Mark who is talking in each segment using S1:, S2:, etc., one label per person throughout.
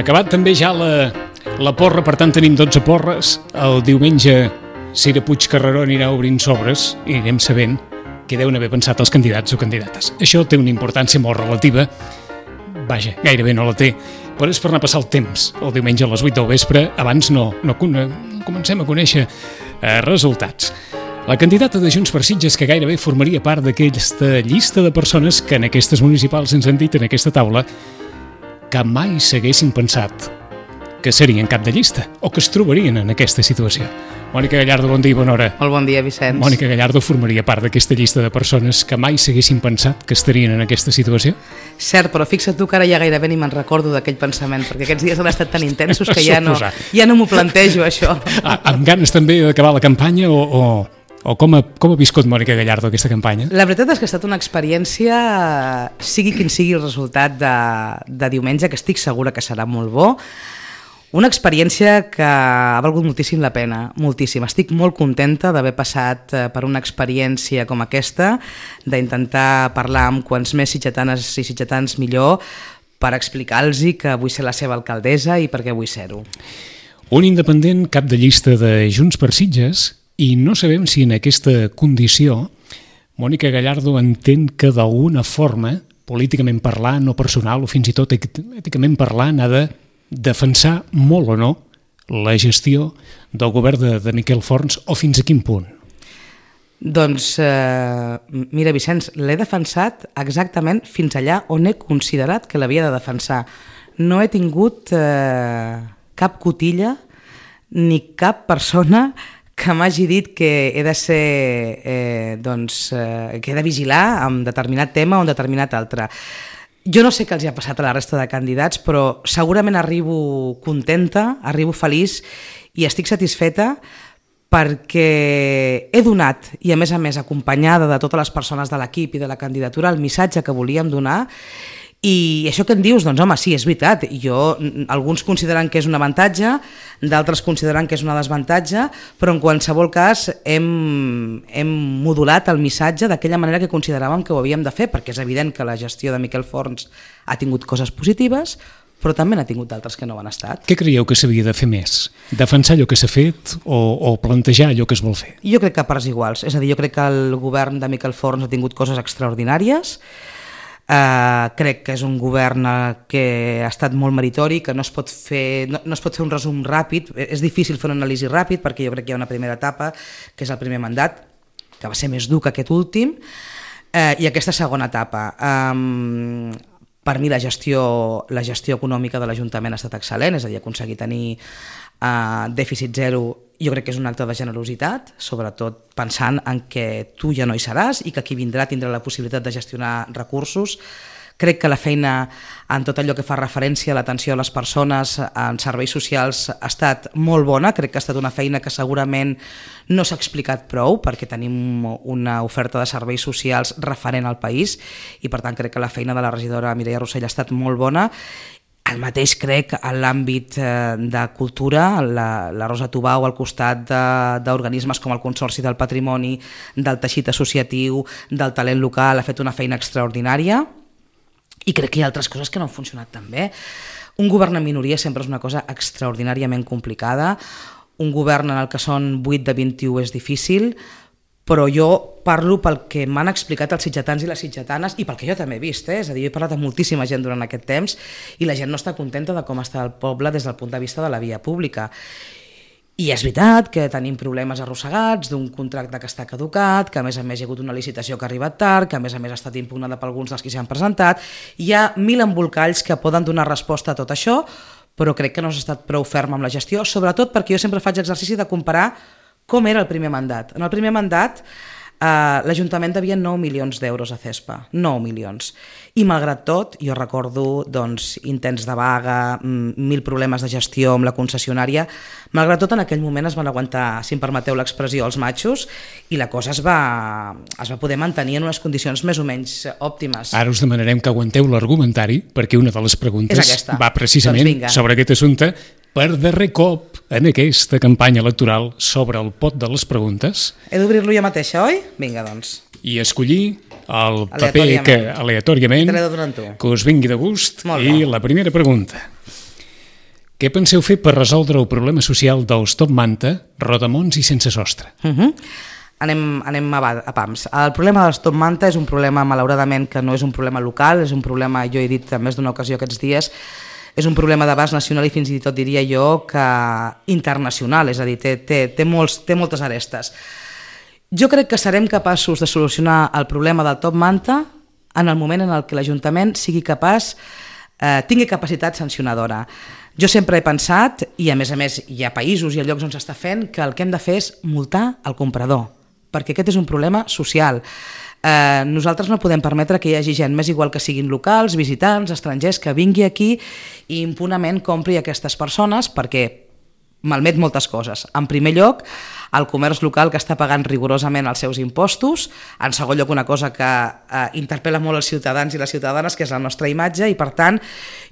S1: Acabat també ja la porra, per tant tenim 12 porres. El diumenge Cira Puigcarreró anirà obrint sobres i anirem sabent què deuen haver pensat els candidats o candidates. Això té una importància molt relativa, vaja, gairebé no la té, però és per anar a passar el temps. El diumenge a les 8 del vespre, abans no comencem a conèixer resultats. La candidata de Junts per Sitges, que gairebé formaria part d'aquesta llista de persones que en aquestes municipals ens han dit en aquesta taula que mai s'haguessin pensat que serien cap de llista o que es trobarien en aquesta situació. Mònica Gallardo, bon dia i bona hora.
S2: Molt bon dia, Vicenç.
S1: Mònica Gallardo formaria part d'aquesta llista de persones que mai s'haguessin pensat que estarien en aquesta situació?
S2: Cert, però fixa't tu que ara ja gairebé ni me'n recordo d'aquell pensament, perquè aquests dies han estat tan intensos que ja no m'ho plantejo, això.
S1: Amb ganes també d'acabar la campanya o com ha viscut Mònica Gallardo aquesta campanya?
S2: La veritat és que ha estat una experiència, sigui quin sigui el resultat de diumenge, que estic segura que serà molt bo. Una experiència que ha valgut moltíssim la pena, moltíssim. Estic molt contenta d'haver passat per una experiència com aquesta, d'intentar parlar amb quants més sitgetanes i sitgetans millor per explicar-los que vull ser la seva alcaldessa i per què vull ser-ho.
S1: Un independent cap de llista de Junts per Sitges, i no sabem si en aquesta condició Mònica Gallardo entén que d'alguna forma, políticament parlant o personal o fins i tot èticament parlant, ha de defensar molt o no la gestió del govern de Miquel Forns o fins a quin punt?
S2: Doncs, mira, Vicenç, l'he defensat exactament fins allà on he considerat que l'havia de defensar. No he tingut cap cotilla ni cap persona que m'hagi dit que he de ser, que he de vigilar en determinat tema o en determinat altre. Jo no sé què els ha passat a la resta de candidats, però segurament arribo contenta, arribo feliç i estic satisfeta perquè he donat, i a més acompanyada de totes les persones de l'equip i de la candidatura, el missatge que volíem donar. I això que em dius, doncs home, sí, és veritat. Alguns consideren que és un avantatge, d'altres consideren que és un desavantatge, però en qualsevol cas hem modulat el missatge d'aquella manera que consideràvem que ho havíem de fer, perquè és evident que la gestió de Miquel Forns ha tingut coses positives, però també n'ha tingut d'altres que no ho han estat.
S1: Què creieu que s'havia de fer més? Defensar allò que s'ha fet o plantejar allò que es vol fer?
S2: Jo crec que a parts iguals. És a dir, jo crec que el govern de Miquel Forns ha tingut coses extraordinàries. Crec que és un govern que ha estat molt meritori, que no es pot fer un resum ràpid. És difícil fer una anàlisi ràpid perquè jo crec que hi ha una primera etapa, que és el primer mandat, que va ser més dur que aquest últim, i aquesta segona etapa. Per mi la gestió econòmica de l'Ajuntament ha estat excel·lent, és a dir, aconseguir tenir dèficit zero. Jo crec que és un acte de generositat, sobretot pensant en que tu ja no hi seràs i que qui vindrà tindrà la possibilitat de gestionar recursos. Crec que la feina en tot allò que fa referència a l'atenció a les persones en serveis socials ha estat molt bona. Crec que ha estat una feina que segurament no s'ha explicat prou perquè tenim una oferta de serveis socials referent al país i per tant crec que la feina de la regidora Mireia Rossell ha estat molt bona. El mateix crec en l'àmbit de cultura, la Rosa Tubau al costat d'organismes com el Consorci del Patrimoni, del teixit associatiu, del talent local, ha fet una feina extraordinària i crec que hi ha altres coses que no han funcionat tan bé. Un govern en minoria sempre és una cosa extraordinàriament complicada, un govern en el que són 8 de 21 és difícil, però jo parlo pel que m'han explicat els sitgetans i les sitgetanes i pel que jo també he vist, és a dir, he parlat amb moltíssima gent durant aquest temps i la gent no està contenta de com està el poble des del punt de vista de la via pública. I és veritat que tenim problemes arrossegats d'un contracte que està caducat, que a més hi ha hagut una licitació que ha arribat tard, que a més ha estat impugnada per alguns dels que s'hi han presentat. Hi ha 1000 embolcalls que poden donar resposta a tot això, però crec que no s'ha estat prou ferm amb la gestió, sobretot perquè jo sempre faig exercici de comparar com era el primer mandat. En el primer mandat l'Ajuntament devia 9 milions d'euros a CESPA, 9 milions. I malgrat tot, jo recordo intents de vaga, 1000 problemes de gestió amb la concessionària, malgrat tot en aquell moment es van aguantar, si em permeteu l'expressió, els matxos i la cosa es va poder mantenir en unes condicions més o menys òptimes.
S1: Ara us demanarem que aguanteu l'argumentari perquè una de les preguntes va precisament sobre aquest assumpte. Per darrer cop en aquesta campanya electoral sobre el pot de les preguntes.
S2: He d'obrir-lo jo mateixa, oi? Vinga, doncs.
S1: I escollir el paper que aleatòriament que us vingui de gust. I la primera pregunta. Què penseu fer per resoldre el problema social dels Top Manta, Rodamons i Sense Sostre?
S2: Anem a pams. El problema dels Top Manta és un problema, malauradament, que no és un problema local, és un problema, jo he dit en més d'una ocasió aquests dies, és un problema d'abast nacional i fins i tot diria jo que internacional, és a dir, té moltes arestes. Jo crec que serem capaços de solucionar el problema del Top Manta en el moment en el que l'Ajuntament sigui capaç, tingui capacitat sancionadora. Jo sempre he pensat, i a més hi ha països i llocs on s'està fent, que el que hem de fer és multar el comprador, perquè aquest és un problema social. Nosaltres no podem permetre que hi hagi gent, més igual que siguin locals, visitants, estrangers, que vingui aquí i impunament compri aquestes persones perquè malmet moltes coses. En primer lloc, el comerç local que està pagant rigorosament els seus impostos. En segon lloc, una cosa que interpel·la molt els ciutadans i les ciutadanes, que és la nostra imatge, i per tant,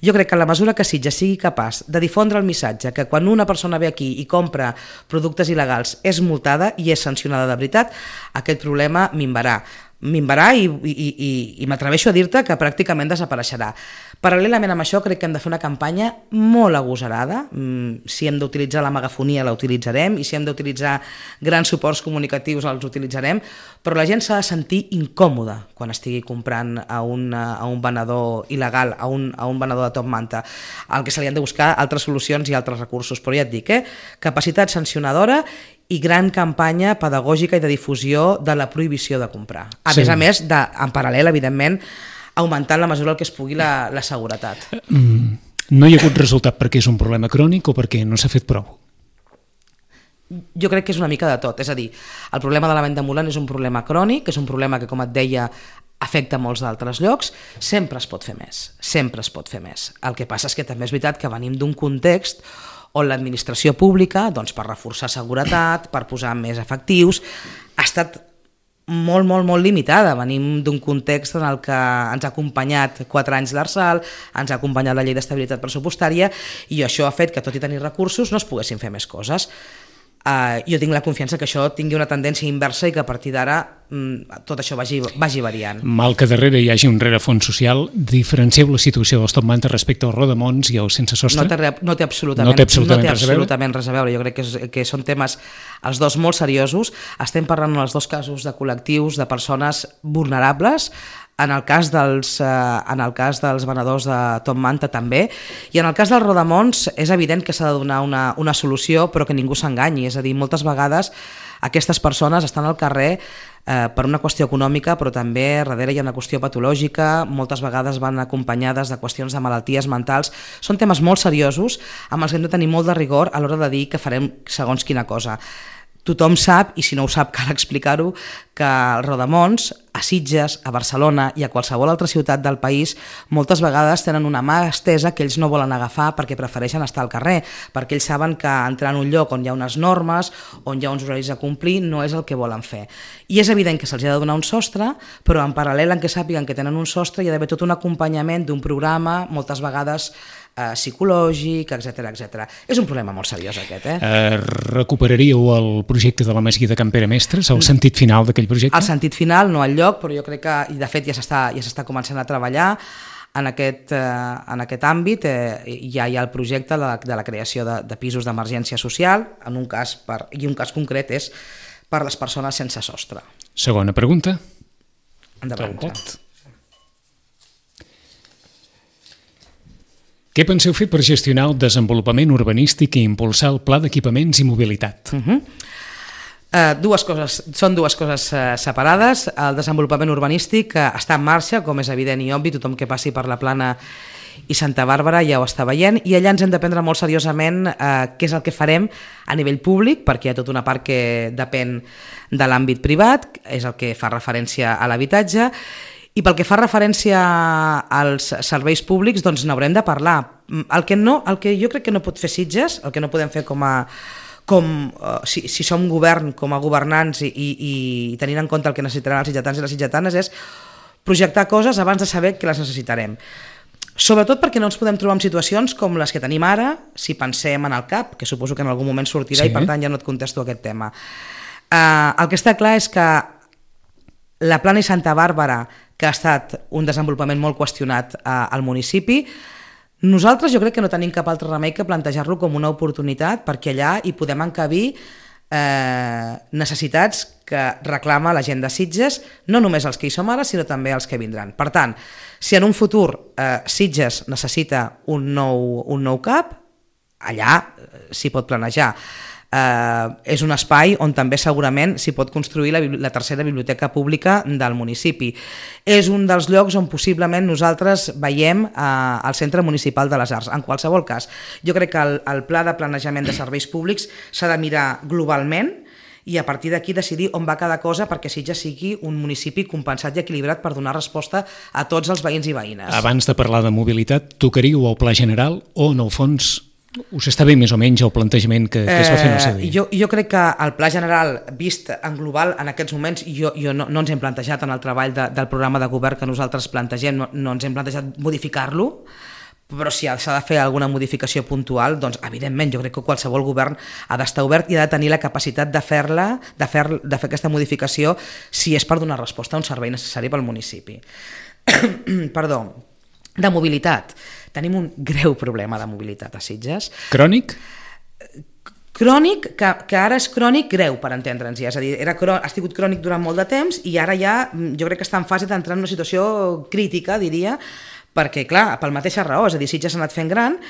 S2: jo crec que en la mesura que Sitges sigui capaç de difondre el missatge que quan una persona ve aquí i compra productes il·legals és multada i és sancionada de veritat, aquest problema minvarà i m'atreveixo a dir-te que pràcticament desapareixerà. Paral·lelament amb això crec que hem de fer una campanya molt agosarada. Si hem d'utilitzar la megafonia la utilitzarem i si hem d'utilitzar grans suports comunicatius els utilitzarem, però la gent s'ha de sentir incòmoda quan estigui comprant a un venedor il·legal, a un venedor de Top Manta. El que se li han de buscar altres solucions i altres recursos, però ja et dic, capacitat sancionadora i gran campanya pedagògica i de difusió de la prohibició de comprar. A més, en paral·lel, evidentment, augmentant la mesura el que es pugui la seguretat.
S1: No hi ha hagut resultat perquè és un problema crònic o perquè no s'ha fet prou?
S2: Jo crec que és una mica de tot. És a dir, el problema de la venda ambulant és un problema crònic, és un problema que, com et deia, afecta molts d'altres llocs. Sempre es pot fer més, sempre es pot fer més. El que passa és que també és veritat que venim d'un context on l'administració pública, doncs, per reforçar seguretat, per posar més efectius, ha estat molt limitada. Venim d'un context en el que ens ha acompanyat 4 anys l'Arsal, ens ha acompanyat la llei d'estabilitat pressupostària i això ha fet que, tot i tenir recursos, no es poguessin fer més coses. Jo tinc la confiança que això tingui una tendència inversa i que a partir d'ara tot això vagi variant.
S1: Mal que darrere hi hagi un rerefons social, diferencieu la situació dels Top Manta respecte als Rodamons i als Sense Sostre?
S2: No té absolutament res a veure. Jo crec que són temes, els dos, molt seriosos. Estem parlant en els dos casos de col·lectius, de persones vulnerables. En el cas dels venedors de Top Manta també, i en el cas dels Rodamons és evident que s'ha de donar una solució, però que ningú s'enganyi. És a dir, moltes vegades aquestes persones estan al carrer per una qüestió econòmica, però també darrere hi ha una qüestió patològica, moltes vegades van acompanyades de qüestions de malalties mentals. Són temes molt seriosos amb els que hem de tenir molt de rigor a l'hora de dir que farem segons quina cosa. Tothom sap, i si no ho sap cal explicar-ho, que els Rodamons a Sitges, a Barcelona i a qualsevol altra ciutat del país moltes vegades tenen una mà estesa que ells no volen agafar perquè prefereixen estar al carrer, perquè ells saben que entrar en un lloc on hi ha unes normes, on hi ha uns horaris a complir, no és el que volen fer. I és evident que se'ls ha de donar un sostre, però en paral·lel en què sàpiguen que tenen un sostre hi ha d'haver tot un acompanyament d'un programa, moltes vegades psicològic, etc. És un problema molt seriós aquest.
S1: Recuperaríeu el projecte de la Masia de Can Pere Mestres, el sentit final d'aquell projecte?
S2: El sentit final, no al lloc, però jo crec que, i de fet ja s'està començant a treballar en aquest àmbit. Ja hi ha el projecte de la creació de pisos d'emergència social, i un cas concret és per les persones sense sostre.
S1: Segona pregunta.
S2: Endavant.
S1: Què penseu fer per gestionar el desenvolupament urbanístic i impulsar el pla d'equipaments i mobilitat?
S2: Són dues coses separades. El desenvolupament urbanístic està en marxa, com és evident i obvi, tothom que passi per la Plana i Santa Bàrbara ja ho està veient, i allà ens hem de prendre molt seriosament què és el que farem a nivell públic, perquè hi ha tota una part que depèn de l'àmbit privat, és el que fa referència a l'habitatge. I pel que fa referència als serveis públics, doncs n'haurem de parlar. El que jo crec que no pot fer Sitges, el que no podem fer si som govern, com a governants i tenint en compte el que necessitaran els sitgetans i les sitgetanes, és projectar coses abans de saber que les necessitarem. Sobretot perquè no ens podem trobar en situacions com les que tenim ara, si pensem en el CAP, que suposo que en algun moment sortirà, sí. I per tant ja no et contesto aquest tema. El que està clar és que la Plana i Santa Bàrbara, que ha estat un desenvolupament molt qüestionat al municipi, Nosaltres jo crec que no tenim cap altre remei que plantejar-lo com una oportunitat, perquè allà hi podem encabir necessitats que reclama la gent de Sitges, no només els que hi som ara, sinó també els que vindran. Per tant, si en un futur Sitges necessita un nou CAP, allà s'hi pot planejar. És un espai on també segurament s'hi pot construir la tercera biblioteca pública del municipi. És un dels llocs on possiblement nosaltres veiem el Centre Municipal de les Arts. En qualsevol cas, jo crec que el pla de planejament de serveis públics s'ha de mirar globalment i a partir d'aquí decidir on va cada cosa perquè Sitges sigui un municipi compensat i equilibrat per donar resposta a tots els veïns i veïnes.
S1: Abans de parlar de mobilitat, tocaríeu el pla general o, en el fons, us està bé més o menys el plantejament que es va fer en el seu dia?
S2: Jo crec que el pla general vist en global en aquests moments no ens hem plantejat en el treball del programa de govern que nosaltres plantegem, no ens hem plantejat modificar-lo, però si s'ha de fer alguna modificació puntual, doncs evidentment jo crec que qualsevol govern ha d'estar obert i ha de tenir la capacitat de fer aquesta modificació si és per donar resposta a un servei necessari pel municipi. Perdó. De mobilitat. Tenim un greu problema de mobilitat a Sitges.
S1: Crònic?
S2: Crònic, que ara és crònic greu, per entendre'ns. És a dir, ha sigut crònic durant molt de temps i ara ja jo crec que està en fase d'entrar en una situació crítica, diria, perquè, clar, per la mateixa raó, és a dir, Sitges s'ha anat fent gran,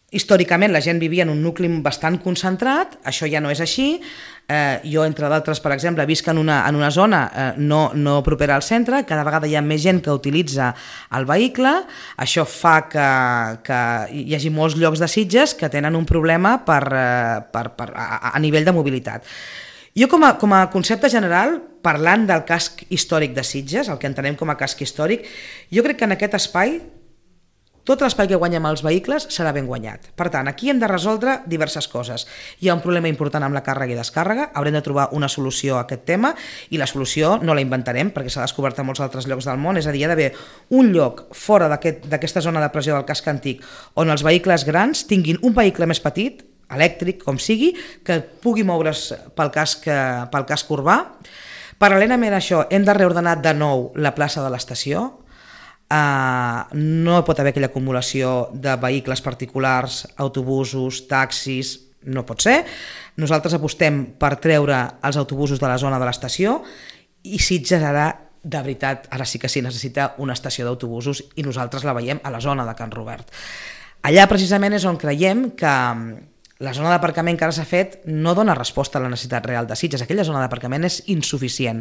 S2: històricament la gent vivia en un nucli bastant concentrat, això ja no és així. Jo, entre d'altres, per exemple, visc en una zona no propera al centre, cada vegada hi ha més gent que utilitza el vehicle, això fa que hi hagi molts llocs de Sitges que tenen un problema a nivell de mobilitat. Jo, com a concepte general, parlant del casc històric de Sitges, el que entenem com a casc històric, jo crec que en aquest espai tot l'espai que guanyem els vehicles serà ben guanyat. Per tant, aquí hem de resoldre diverses coses. Hi ha un problema important amb la càrrega i descàrrega, haurem de trobar una solució a aquest tema i la solució no la inventarem perquè s'ha descobert a molts altres llocs del món, és a dir, hi ha d'haver un lloc fora d'aquesta zona de pressió del casc antic on els vehicles grans tinguin un vehicle més petit, elèctric, com sigui, que pugui moure's pel casc urbà. Paral·lelament a això, hem de reordenar de nou la plaça de l'estació. No pot haver aquella acumulació de vehicles particulars, autobusos, taxis, no pot ser. Nosaltres apostem per treure els autobusos de la zona de l'estació i Sitges ara, de veritat, ara sí que sí, necessita una estació d'autobusos i nosaltres la veiem a la zona de Can Robert. Allà precisament és on creiem que la zona d'aparcament que ara s'ha fet no dona resposta a la necessitat real de Sitges, aquella zona d'aparcament és insuficient.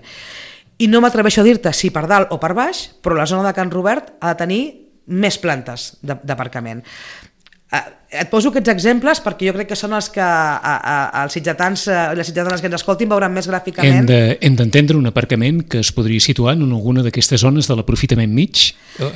S2: I no m'atreveixo a dir-te si per dalt o per baix, però la zona de Can Robert ha de tenir més plantes d'aparcament. Et poso aquests exemples perquè jo crec que són els que els sitgetans i les sitgetanes que ens escoltin veuran més gràficament.
S1: Hem d'entendre un aparcament que es podria situar en alguna d'aquestes zones de l'aprofitament mig?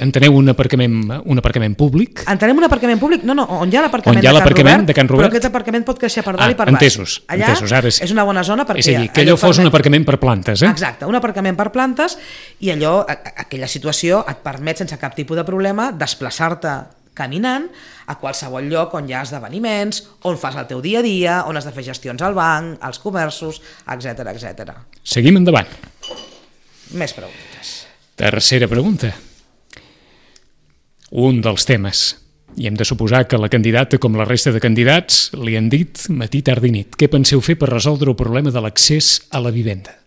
S1: Enteneu un aparcament públic?
S2: Entenem un aparcament públic? No, on hi ha l'aparcament
S1: de Can Robert,
S2: però aquest aparcament pot créixer per dalt i per baix.
S1: Entesos, ara sí.
S2: És una bona zona perquè...
S1: És a dir, que allò fos un aparcament per plantes, eh?
S2: Exacte, un aparcament per plantes i allò, aquella situació et permet sense cap tipus de problema desplaçar-te caminant a qualsevol lloc on hi ha esdeveniments, on fas el teu dia a dia, on has de fer gestions al banc, als comerços, etc.
S1: Seguim endavant.
S2: Més preguntes.
S1: Tercera pregunta. Un dels temes. I hem de suposar que la candidata, com la resta de candidats, li han dit matí, tarda i nit. Què penseu fer per resoldre el problema de l'accés a la vivenda?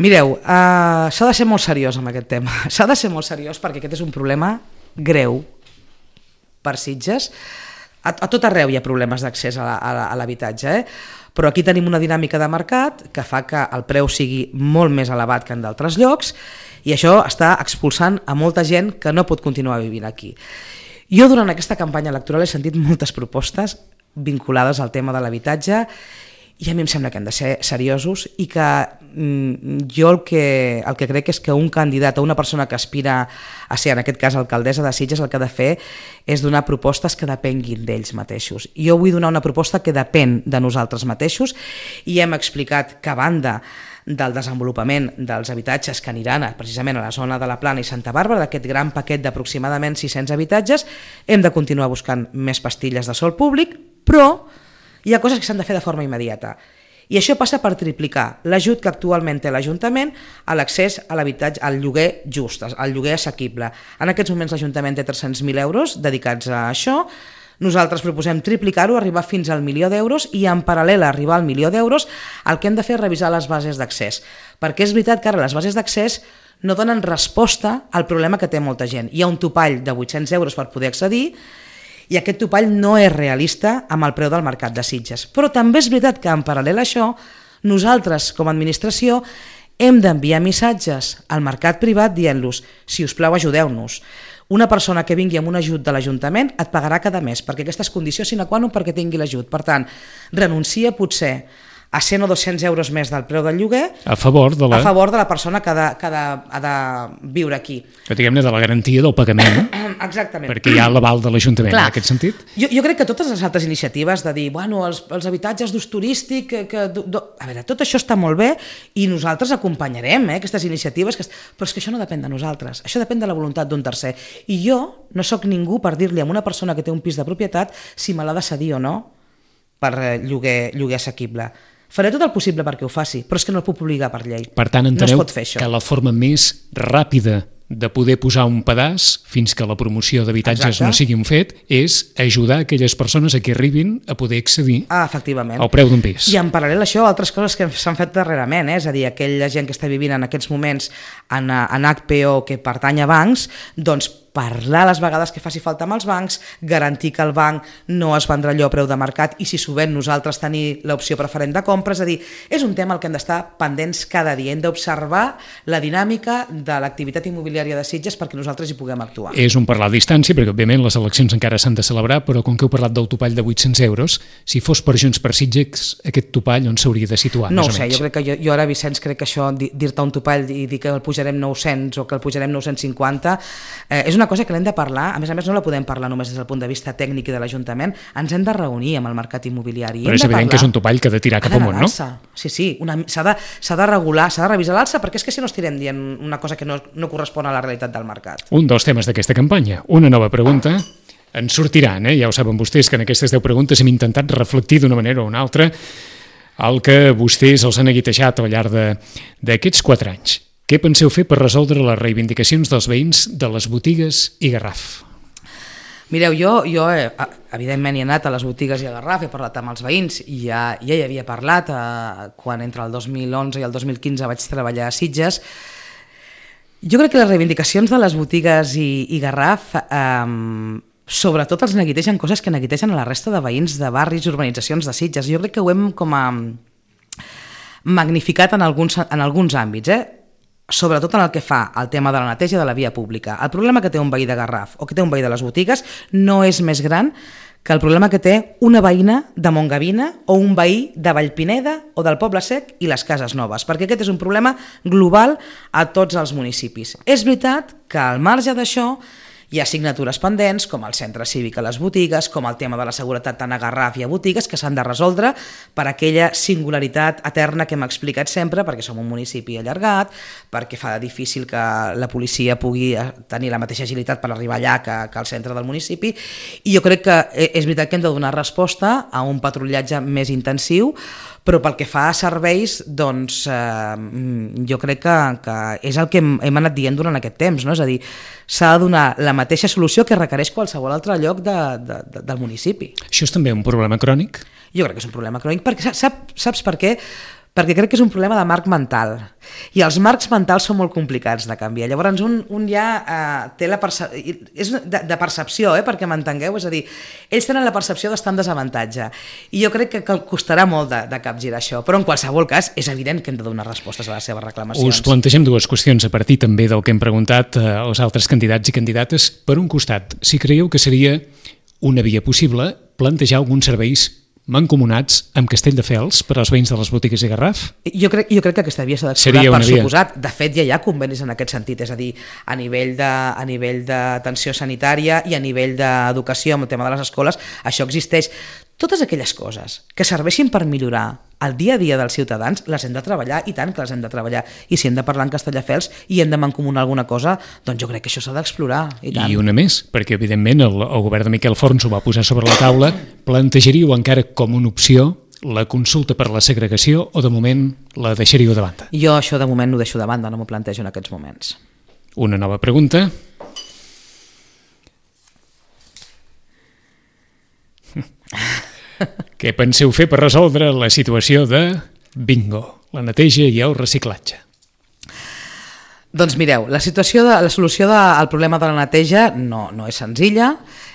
S2: Mireu, s'ha de ser molt seriós amb aquest tema. S'ha de ser molt seriós perquè aquest és un problema greu per Sitges. A tot arreu hi ha problemes d'accés a l'habitatge, però aquí tenim una dinàmica de mercat que fa que el preu sigui molt més elevat que en d'altres llocs i això està expulsant a molta gent que no pot continuar vivint aquí. Jo durant aquesta campanya electoral he sentit moltes propostes vinculades al tema de l'habitatge i a mi em sembla que hem de ser seriosos i que jo el que crec és que un candidat o una persona que aspira a ser, en aquest cas, alcaldessa de Sitges, el que ha de fer és donar propostes que depenguin d'ells mateixos. Jo vull donar una proposta que depèn de nosaltres mateixos i hem explicat que a banda del desenvolupament dels habitatges que aniran precisament a la zona de la Plana i Santa Bàrbara, d'aquest gran paquet d'aproximadament 600 habitatges, hem de continuar buscant més pastilles de sòl públic, però hi ha coses que s'han de fer de forma immediata. I això passa per triplicar l'ajut que actualment té l'Ajuntament a l'accés a l'habitatge, al lloguer just, al lloguer assequible. En aquests moments l'Ajuntament té 300.000 euros dedicats a això. Nosaltres proposem triplicar-ho, arribar fins al 1.000.000 d'euros i en paral·lel a arribar al 1.000.000 d'euros el que hem de fer és revisar les bases d'accés. Perquè és veritat que ara les bases d'accés no donen resposta al problema que té molta gent. Hi ha un topall de 800 euros per poder accedir i aquest topall no és realista amb el preu del mercat de Sitges. Però també és veritat que en paral·lel a això, nosaltres com a administració hem d'enviar missatges al mercat privat dient-los, si us plau ajudeu-nos. Una persona que vingui amb un ajut de l'Ajuntament et pagarà cada mes, perquè aquesta és condició sine qua non perquè tingui l'ajut. Per tant, renuncia potser a 100 o 200 euros més del preu del lloguer
S1: a favor de
S2: la persona que ha de viure aquí.
S1: Que diguem-ne de la garantia del pagament.
S2: Exactament.
S1: Perquè hi ha l'aval de l'Ajuntament en aquest sentit.
S2: Jo crec que totes les altres iniciatives de dir, bueno, els habitatges d'ús turístic, a veure, tot això està molt bé i nosaltres acompanyarem aquestes iniciatives, però és que això no depèn de nosaltres, això depèn de la voluntat d'un tercer. I jo no sóc ningú per dir-li a una persona que té un pis de propietat si me l'ha de cedir o no per lloguer assequible. Faré tot el possible perquè ho faci, però és que no el puc obligar per llei.
S1: Per tant, enteneu
S2: no
S1: que la forma més ràpida de poder posar un pedaç fins que la promoció d'habitatges no sigui un fet és ajudar aquelles persones a que arribin a poder accedir al preu d'un pis.
S2: I en paral·lel a això, altres coses que s'han fet darrerament, és a dir, aquella gent que està vivint en aquests moments en HPO que pertany a bancs, doncs parlar les vegades que faci falta amb els bancs, garantir que el banc no es vendrà allò a preu de mercat i si subent nosaltres tenir l'opció preferent de compra, és a dir, és un tema al que hem d'estar pendents cada dia, hem d'observar la dinàmica de l'activitat immobiliària de Sitges perquè nosaltres hi puguem actuar.
S1: És un parlar a distància, perquè òbviament les eleccions encara s'han de celebrar, però com que heu parlat del topall de 800 euros, si fos per Junts per Sitges, aquest topall on s'hauria de situar?
S2: No ho sé, jo crec que jo ara, Vicenç, crec que això, dir-te un topall i dir que el pujarem 900 o que el pujarem 950, és una cosa que l'hem de parlar, a més no la podem parlar només des del punt de vista tècnic i de l'Ajuntament, ens hem de reunir amb el mercat immobiliari.
S1: Però és evident que és un topall que ha de tirar cap amunt, no?
S2: Sí, s'ha de regular, s'ha de revisar l'alça, perquè és que si no estirem dient una cosa que no correspon a la realitat del mercat.
S1: Un dels temes d'aquesta campanya, una nova pregunta, en sortiran, ja ho saben vostès que en aquestes 10 preguntes hem intentat reflectir d'una manera o una altra el que vostès els han aguitejat al llarg d'aquests 4 anys. Què penseu fer per resoldre les reivindicacions dels veïns de les botigues i Garraf?
S2: Mireu, jo evidentment he anat a les botigues i a Garraf, he parlat amb els veïns i ja hi havia parlat quan entre el 2011 i el 2015 vaig treballar a Sitges. Jo crec que les reivindicacions de les botigues i Garraf sobretot els neguitegen coses que neguitegen a la resta de veïns de barris i urbanitzacions de Sitges. Jo crec que ho hem com a magnificat en alguns àmbits, sobretot en el que fa al tema de la neteja de la via pública. El problema que té un veí de Garraf o que té un veí de les botigues no és més gran que el problema que té una veïna de Montgavina o un veí de Vallpineda o del Poble Sec i les Cases Noves, perquè aquest és un problema global a tots els municipis. És veritat que al marge d'això hi ha assignatures pendents, com el centre cívic a les botigues, com el tema de la seguretat tant a Garraf i a botigues, que s'han de resoldre per aquella singularitat eterna que hem explicat sempre, perquè som un municipi allargat, perquè fa difícil que la policia pugui tenir la mateixa agilitat per arribar allà que al centre del municipi, i jo crec que és veritat que hem de donar resposta a un patrullatge més intensiu, però pel que fa a serveis, doncs jo crec que és el que hem anat dient durant aquest temps, no? És a dir, s'ha de donar la mateixa solució que requereix qualsevol altre lloc del municipi.
S1: Això és també un problema crònic?
S2: Jo crec que és un problema crònic, perquè saps per què? Perquè crec que és un problema de marc mental i els marcs mentals són molt complicats de canviar. Llavors un ja té la percepció, és de percepció, perquè m'entengueu, és a dir, ells tenen la percepció d'estar en desavantatge i jo crec que costarà molt de capgirar això, però en qualsevol cas és evident que hem de donar respostes a les seves reclamacions.
S1: Us plantegem 2 qüestions a partir també del que hem preguntat als altres candidats i candidates. Per un costat, si creieu que seria una via possible plantejar alguns serveis mancomunats amb Castelldefels per als veïns de les botigues i Garraf?
S2: Jo crec que aquesta via s'ha d'explorar, per suposat. De fet, ja hi ha convenis en aquest sentit, és a dir, a nivell d'atenció sanitària i a nivell d'educació amb el tema de les escoles, això existeix. Totes aquelles coses que serveixin per millorar el dia a dia dels ciutadans les hem de treballar, i tant que les hem de treballar, i si hem de parlar en Castelldefels i hem de mancomunar alguna cosa, doncs jo crec que això s'ha d'explorar, i tant.
S1: I una més, perquè evidentment el govern de Miquel Forns ho va posar sobre la taula, plantejaríeu encara com una opció la consulta per la segregació o de moment la deixaríeu de banda?
S2: Jo això de moment ho deixo de banda, no m'ho plantejo en aquests moments.
S1: Una nova pregunta. Què penseu fer per resoldre la situació de bingo, la neteja i el reciclatge?
S2: Doncs mireu, la solució al problema de la neteja no és senzilla.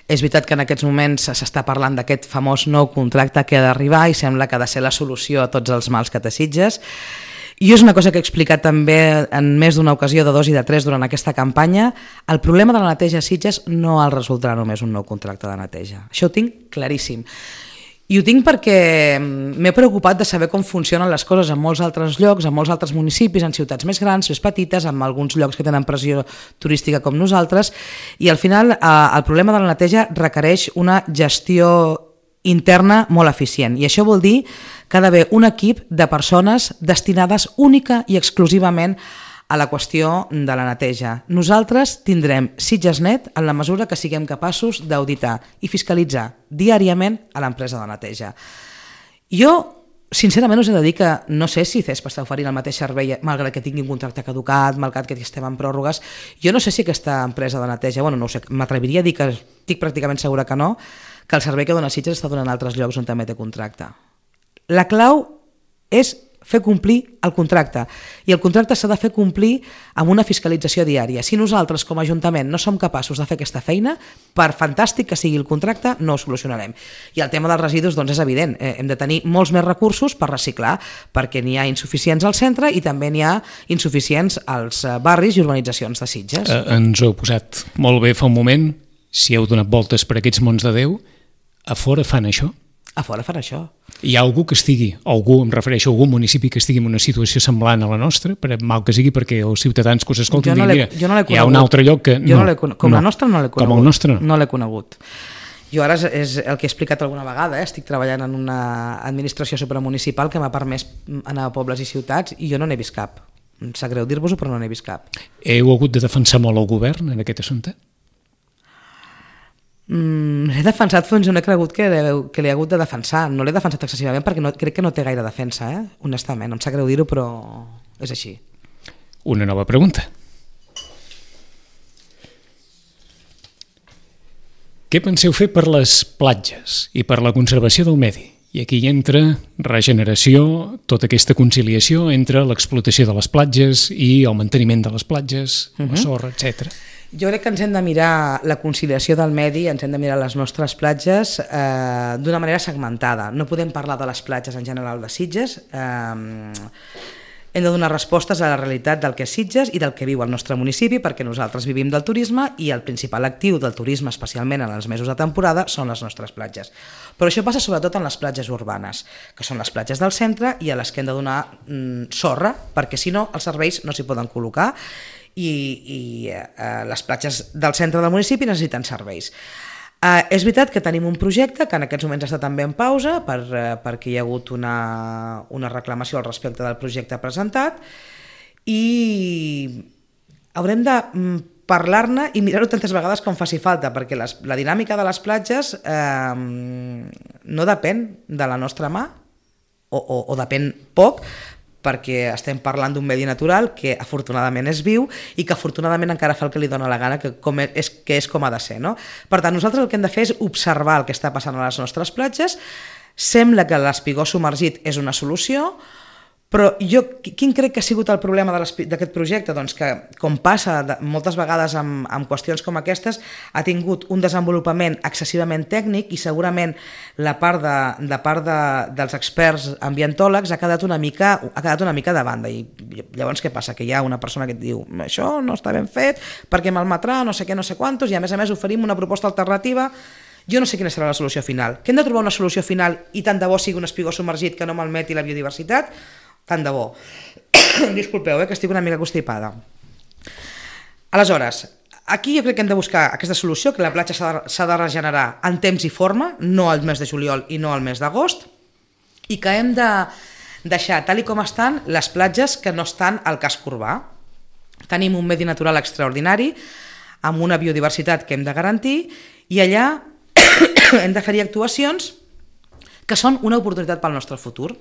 S2: És veritat que en aquests moments s'està parlant d'aquest famós nou contracte que ha d'arribar i sembla que ha de ser la solució a tots els mals que té Sitges. I és una cosa que he explicat també en més d'una ocasió, de 2 i de 3 durant aquesta campanya. El problema de la neteja a Sitges no el resoldrà només un nou contracte de neteja. Això ho tinc claríssim. I ho tinc perquè m'he preocupat de saber com funcionen les coses en molts altres llocs, en molts altres municipis, en ciutats més grans, més petites, en alguns llocs que tenen pressió turística com nosaltres, i al final el problema de la neteja requereix una gestió interna molt eficient, i això vol dir que ha d'haver un equip de persones destinades única i exclusivament a la qüestió de la neteja. Nosaltres tindrem SitgesNet en la mesura que siguem capaços d'auditar i fiscalitzar diàriament a l'empresa de neteja. Jo, sincerament, us he de dir que no sé si CESP està oferint el mateix servei, malgrat que tingui un contracte caducat, malgrat que estem en pròrrogues. Jo no sé si aquesta empresa de neteja, no ho sé, m'atreviria a dir que estic pràcticament segura que no, que el servei que dona Sitges està donant altres llocs on també té contracte. La clau és fer complir el contracte, i el contracte s'ha de fer complir amb una fiscalització diària. Si nosaltres com a Ajuntament no som capaços de fer aquesta feina, per fantàstic que sigui el contracte, no ho solucionarem. I el tema dels residus doncs és evident, hem de tenir molts més recursos per reciclar, perquè n'hi ha insuficients al centre i també n'hi ha insuficients als barris i urbanitzacions de Sitges.
S1: Ens ho heu posat molt bé fa un moment, si heu donat voltes per aquests mons de Déu, a fora fan això?
S2: A fora fan això.
S1: Hi ha algú que estigui, em refereixo a algun municipi que estigui en una situació semblant a la nostra, per mal que sigui, perquè els ciutadans que us escolten diuen, hi ha un altre lloc que...
S2: Com la nostra no l'he conegut.
S1: Com el nostre no.
S2: No l'he conegut. Jo ara és el que he explicat alguna vegada, estic treballant en una administració supramunicipal que m'ha permès anar a pobles i ciutats i jo no n'he vist cap. Em sap greu dir-vos-ho, però no n'he vist cap.
S1: Heu hagut de defensar molt el govern en aquest assumpte?
S2: L'he defensat fins on he cregut que l'he hagut de defensar. No l'he defensat excessivament perquè crec que no té gaire defensa, honestament. Em sap greu dir-ho, però és així.
S1: Una nova pregunta. Què penseu fer per les platges i per la conservació del medi? I aquí entra regeneració, tota aquesta conciliació entre l'explotació de les platges i el manteniment de les platges, la sorra, etc.
S2: Jo crec que ens hem de mirar la conciliació del medi, ens hem de mirar les nostres platges d'una manera segmentada. No podem parlar de les platges en general de Sitges, hem de donar respostes a la realitat del que és Sitges i del que viu el nostre municipi, perquè nosaltres vivim del turisme i el principal actiu del turisme, especialment en els mesos de temporada, són les nostres platges. Però això passa sobretot en les platges urbanes, que són les platges del centre i a les que hem de donar sorra, perquè si no els serveis no s'hi poden col·locar i les platges del centre del municipi necessiten serveis. És veritat que tenim un projecte que en aquests moments està també en pausa perquè hi ha hagut una reclamació al respecte del projecte presentat i haurem de parlar-ne i mirar-ho tantes vegades com faci falta, perquè la dinàmica de les platges no depèn de la nostra mà o depèn poc, perquè estem parlant d'un medi natural que afortunadament és viu i que afortunadament encara fa el que li dona la gana, que és com ha de ser, no? Per tant, nosaltres el que hem de fer és observar el que està passant a les nostres platges. Sembla que l'espigó submergit és una solució, però quin crec que ha sigut el problema d'aquest projecte? Doncs que, com passa moltes vegades amb qüestions com aquestes, ha tingut un desenvolupament excessivament tècnic i segurament la part dels experts ambientòlegs ha quedat una mica de banda. I llavors què passa? Que hi ha una persona que et diu això no està ben fet perquè malmetrà no sé què, no sé quantos, i a més oferim una proposta alternativa. Jo no sé quina serà la solució final. Que hem de trobar una solució final i tant de bo sigui un espigó submergit que no malmeti la biodiversitat? Tant de bo. Disculpeu, que estic una mica constipada. Aleshores, aquí jo crec que hem de buscar aquesta solució, que la platja s'ha de regenerar en temps i forma, no al mes de juliol i no al mes d'agost, i que hem de deixar tal i com estan les platges que no estan al casc urbà. Tenim un medi natural extraordinari, amb una biodiversitat que hem de garantir, i allà hem de fer-hi actuacions que són una oportunitat pel nostre futur.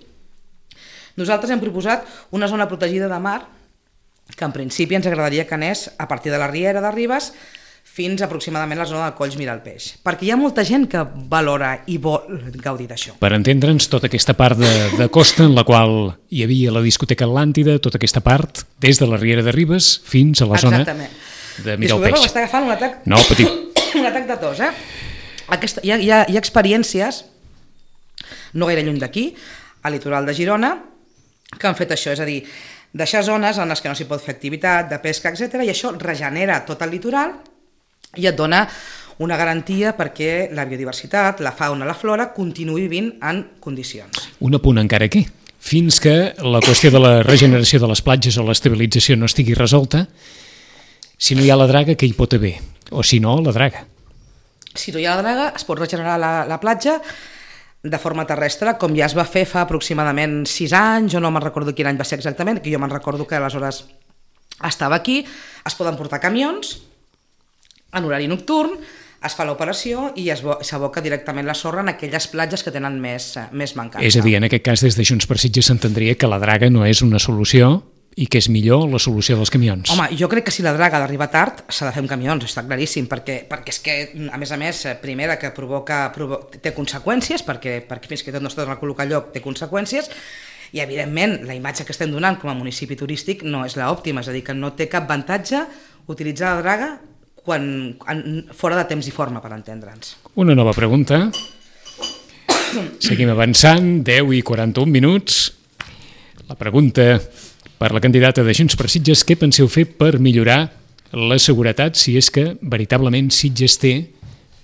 S2: Nosaltres hem proposat una zona protegida de mar que en principi ens agradaria que anés a partir de la Riera de Ribes fins aproximadament a la zona del Colls Miralpeix, perquè hi ha molta gent que valora i vol gaudir d'això.
S1: Per entendre'ns, tota aquesta part de costa en la qual hi havia la discoteca Atlàntida, tota aquesta part, des de la Riera de Ribes fins a la zona de Miralpeix.
S2: Disculpeu, m'està agafant un atac,
S1: no, petit.
S2: un atac de tos. Hi ha experiències, no gaire lluny d'aquí, al litoral de Girona, que han fet això, és a dir, deixar zones en les que no s'hi pot fer activitat, de pesca, etc. i això regenera tot el litoral i et dona una garantia perquè la biodiversitat, la fauna, la flora continuï vivint en condicions.
S1: Un apunt encara aquí. Fins que la qüestió de la regeneració de les platges o l'estabilització no estigui resolta, si no hi ha la draga, què hi pot haver? O si no, la draga.
S2: Si no hi ha la draga, es pot regenerar la platja de forma terrestre, com ja es va fer fa aproximadament 6 anys, jo no me'n recordo quin any va ser exactament, que jo me'n recordo que aleshores estava aquí, es poden portar camions en horari nocturn, es fa l'operació i s'aboca directament la sorra en aquelles platges que tenen més mancança.
S1: És a dir, en aquest cas, des de Junts per Sitges s'entendria que la draga no és una solució i que és millor la solució dels camions.
S2: Home, jo crec que si la draga ha d'arribar tard s'ha de fer amb camions, està claríssim, perquè és que, a més, primera, que té conseqüències, perquè fins que tot no es torna a col·locar lloc té conseqüències, i evidentment la imatge que estem donant com a municipi turístic no és l'òptima, és a dir, que no té cap avantatge utilitzar la draga fora de temps i forma, per entendre'ns.
S1: Una nova pregunta. Seguim avançant, 10 i 41 minuts. La pregunta per la candidata de Junts per Sitges: què penseu fer per millorar la seguretat, si és que veritablement Sitges té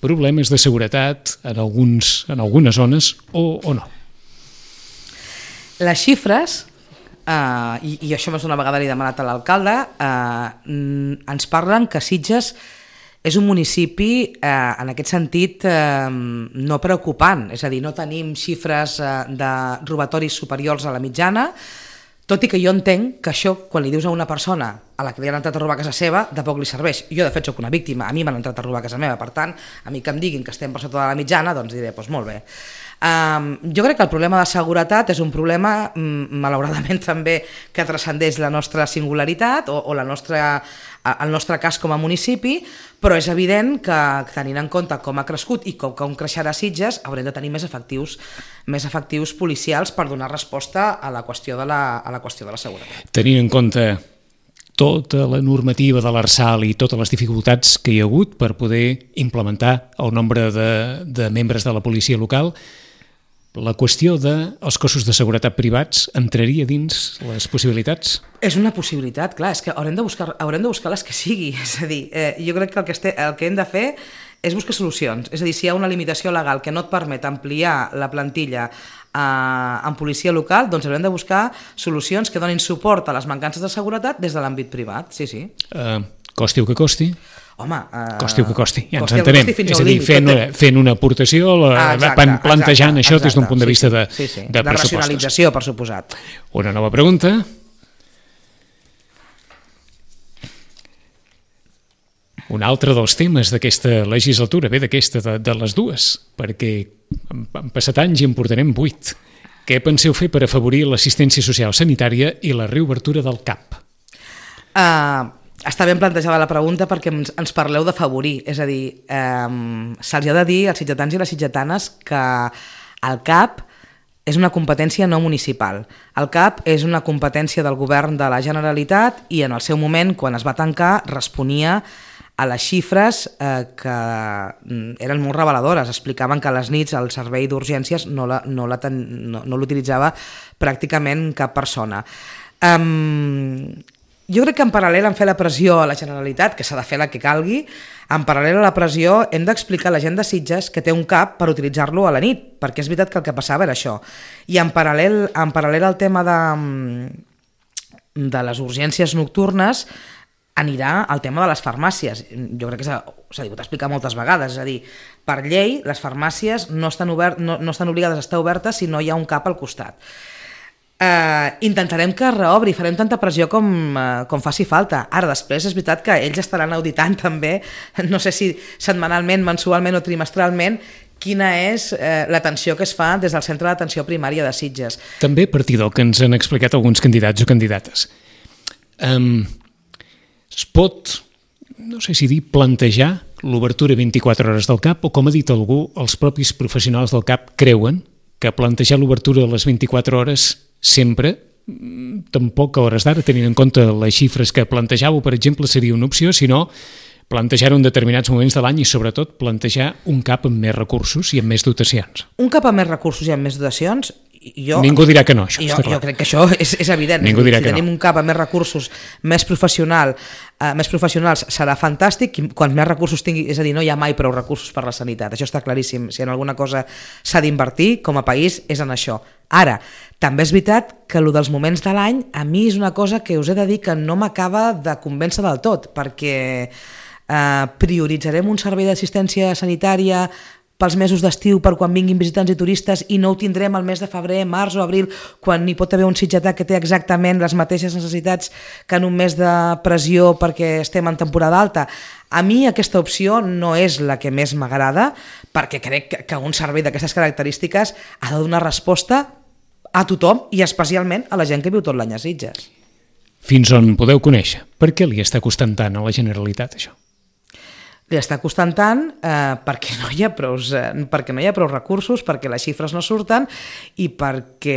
S1: problemes de seguretat en algunes zones o no?
S2: Les xifres, i això més d'una vegada li he demanat a l'alcalde, ens parlen que Sitges és un municipi en aquest sentit no preocupant, és a dir, no tenim xifres de robatoris superiors a la mitjana, tot i que jo entenc que això, quan li dius a una persona a la que li han entrat a robar a casa seva, de poc li serveix. Jo, de fet, soc una víctima, a mi m'han entrat a robar a casa meva, per tant, a mi que em diguin que estem per sota de la mitjana, doncs diré, doncs molt bé. Jo crec que el problema de seguretat és un problema, malauradament també, que transcendeix la nostra singularitat o el nostre cas com a municipi, però és evident que, tenint en compte com ha crescut i com creixerà Sitges, haurem de tenir més efectius policials per donar resposta a la qüestió de la seguretat.
S1: Tenint en compte tota la normativa de l'Arsal i totes les dificultats que hi ha hagut per poder implementar el nombre de membres de la policia local, la qüestió dels cossos de seguretat privats entraria dins les possibilitats?
S2: És una possibilitat, clar, és que haurem de buscar les que sigui, és a dir, jo crec que el que hem de fer és buscar solucions, és a dir, si hi ha una limitació legal que no et permet ampliar la plantilla en policia local, doncs haurem de buscar solucions que donin suport a les mancances de seguretat des de l'àmbit privat, sí.
S1: Costi el que costi?
S2: Home,
S1: costi el que costi, ja ens entenem. És a dir, fent una aportació, plantejant això des d'un punt de vista de pressupostos.
S2: De racionalització, per suposat.
S1: Una nova pregunta. Un altre dels temes d'aquesta legislatura, d'aquesta de les dues, perquè han passat anys i en portarem 8. Què penseu fer per afavorir l'assistència social sanitària i la reobertura del CAP?
S2: Està ben plantejada la pregunta perquè ens parleu d'afavorir, és a dir, se'ls ha de dir als sitgetans i les sitgetanes que el CAP és una competència no municipal. El CAP és una competència del govern de la Generalitat i en el seu moment, quan es va tancar, responia a les xifres que eren molt reveladores. Explicaven que a les nits el servei d'urgències no l'utilitzava pràcticament cap persona. Jo crec que en paral·lel en fer la pressió a la Generalitat, que s'ha de fer la que calgui, en paral·lel a la pressió hem d'explicar a la gent de Sitges que té un CAP per utilitzar-lo a la nit, perquè és veritat que el que passava era això. I en paral·lel al tema de les urgències nocturnes anirà el tema de les farmàcies. Jo crec que s'ha dit explicar moltes vegades, és a dir, per llei les farmàcies no estan obligades a estar obertes si no hi ha un CAP al costat. Intentarem que reobri, farem tanta pressió com faci falta. Ara, després, és veritat que ells estaran auditant també, no sé si setmanalment, mensualment o trimestralment, quina és l'atenció que es fa des del Centre d'Atenció Primària de Sitges.
S1: També a partir del que ens han explicat alguns candidats o candidates. Es pot, no sé si dir, plantejar l'obertura 24 hores del CAP, o com ha dit algú, els propis professionals del CAP creuen que plantejar l'obertura de les 24 hores sempre, tampoc a hores d'ara, tenint en compte les xifres que plantejàveu, per exemple, seria una opció, sinó plantejar-ho en determinats moments de l'any i, sobretot, plantejar un CAP amb més recursos i amb més dotacions.
S2: Un CAP amb més recursos i amb més dotacions,
S1: ningú dirà que no, això està clar.
S2: Jo crec que això és evident.
S1: Ningú dirà
S2: si
S1: que no.
S2: tenim un CAP amb més recursos, més professionals, serà fantàstic. Quants més recursos tingui, és a dir, no hi ha mai prou recursos per la sanitat, això està claríssim. Si en alguna cosa s'ha d'invertir, com a país, és en això. Ara, també és veritat que el dels moments de l'any, a mi és una cosa que us he de dir que no m'acaba de convèncer del tot, perquè prioritzarem un servei d'assistència sanitària pels mesos d'estiu per quan vinguin visitants i turistes i no ho tindrem al mes de febrer, març o abril, quan hi pot haver un sitgetà que té exactament les mateixes necessitats que en un mes de pressió perquè estem en temporada alta. A mi aquesta opció no és la que més m'agrada, perquè crec que un servei d'aquestes característiques ha de donar resposta a tothom i especialment a la gent que viu tot l'any a Sitges.
S1: Fins on podeu conèixer? Per què li està costant tant a la Generalitat això?
S2: Li està costant tant perquè no hi ha prou recursos, perquè les xifres no surten i perquè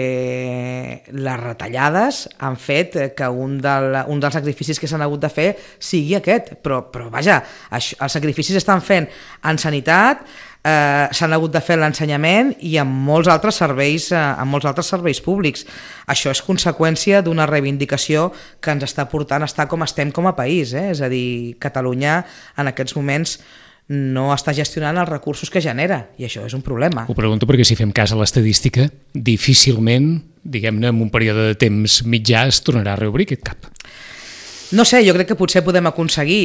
S2: les retallades han fet que un dels sacrificis que s'han hagut de fer sigui aquest. Però vaja, els sacrificis estan fent en sanitat, s'han hagut de fer l'ensenyament i en molts altres serveis públics. Això és conseqüència d'una reivindicació que ens està portant a estar com estem com a país, És a dir, Catalunya en aquests moments no està gestionant els recursos que genera i això és un problema.
S1: Ho pregunto perquè si fem cas a l'estadística, difícilment, diguem-ne, en un període de temps mitjà es tornarà a reobrir aquest CAP.
S2: No sé, jo crec que potser podem aconseguir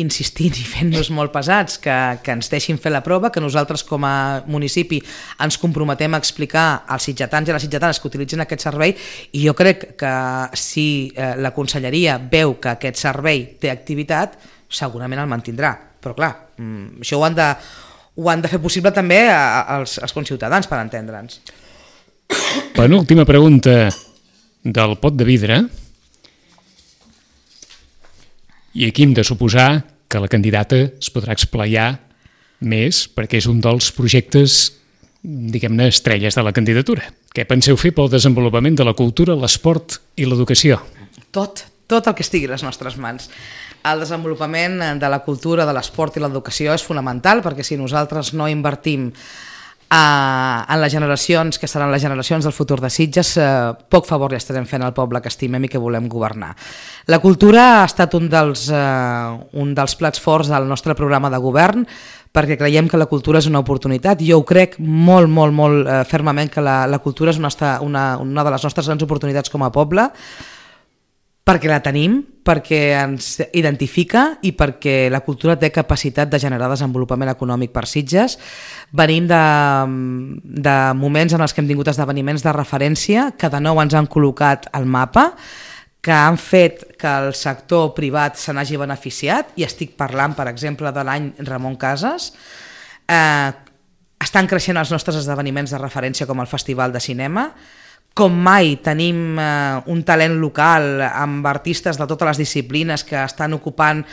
S2: insistint i fent-nos molt pesats que ens deixin fer la prova, que nosaltres com a municipi ens comprometem a explicar als sitgetans i a les sitgetanes que utilitzin aquest servei, i jo crec que si la conselleria veu que aquest servei té activitat, segurament el mantindrà. Però clar, això ho han de fer possible també als conciutadans, per entendre'ns.
S1: Penúltima pregunta del pot de vidre. I aquí hem de suposar que la candidata es podrà explaiar més perquè és un dels projectes, diguem-ne, estrelles de la candidatura. Què penseu fer pel desenvolupament de la cultura, l'esport i l'educació?
S2: Tot el que estigui a les nostres mans. El desenvolupament de la cultura, de l'esport i l'educació és fonamental, perquè si nosaltres no invertim en les generacions que seran les generacions del futur de Sitges, poc favor li estarem fent al poble que estimem i que volem governar. La cultura ha estat un dels plats forts del nostre programa de govern, perquè creiem que la cultura és una oportunitat. Jo ho crec molt fermament que la cultura és una de les nostres grans oportunitats com a poble, perquè la tenim, perquè ens identifica i perquè la cultura té capacitat de generar desenvolupament econòmic per Sitges. Venim de moments en els que hem tingut esdeveniments de referència que de nou ens han col·locat al mapa, que han fet que el sector privat se n'hagi beneficiat, i estic parlant, per exemple, de l'any Ramon Casas. Estan creixent els nostres esdeveniments de referència com el Festival de Cinema. Com mai tenim un talent local amb artistes de totes les disciplines que estan ocupant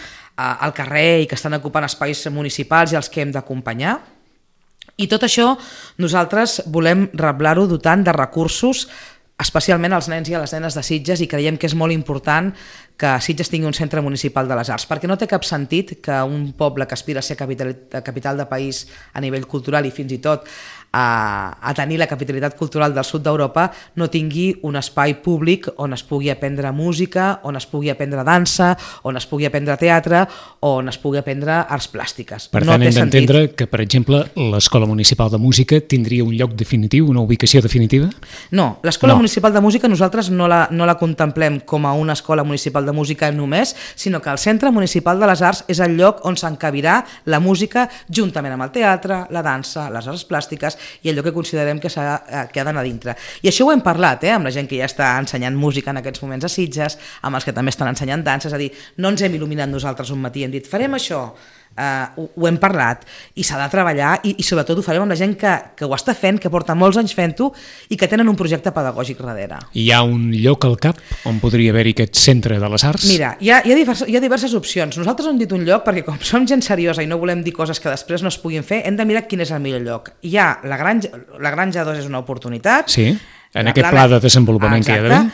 S2: el carrer i que estan ocupant espais municipals i els que hem d'acompanyar. I tot això nosaltres volem reblar-ho dotant de recursos, especialment als nens i a les nenes de Sitges, i creiem que és molt important que Sitges tingui un centre municipal de les arts, perquè no té cap sentit que un poble que aspira a ser capital de país a nivell cultural i fins i tot a tenir la capitalitat cultural del sud d'Europa no tingui un espai públic on es pugui aprendre música, on es pugui aprendre dansa, on es pugui aprendre teatre, on es pugui aprendre arts plàstiques.
S1: Per tant, hem d'entendre que, per exemple, l'Escola Municipal de Música tindria un lloc definitiu, una ubicació definitiva?
S2: No, l'Escola Municipal de Música nosaltres no la contemplem com a una escola municipal de música només, sinó que el Centre Municipal de les Arts és el lloc on s'encabirà la música juntament amb el teatre, la dansa, les arts plàstiques i allò que considerem que ha d'anar dintre. I això ho hem parlat amb la gent que ja està ensenyant música en aquests moments a Sitges, amb els que també estan ensenyant dansa, és a dir, no ens hem il·luminat nosaltres un matí i hem dit farem això. ho hem parlat i s'ha de treballar i sobretot ho farem amb la gent que ho està fent, que porta molts anys fent-ho i que tenen un projecte pedagògic darrere.
S1: Hi ha un lloc al cap on podria haver-hi aquest centre de les arts?
S2: Mira, hi ha diverses opcions. Nosaltres hem dit un lloc perquè com som gent seriosa i no volem dir coses que després no es puguin fer, hem de mirar quin és el millor lloc. Hi ha la Granja 2 és una oportunitat.
S1: Sí, en aquest pla de desenvolupament que hi ha d'haver.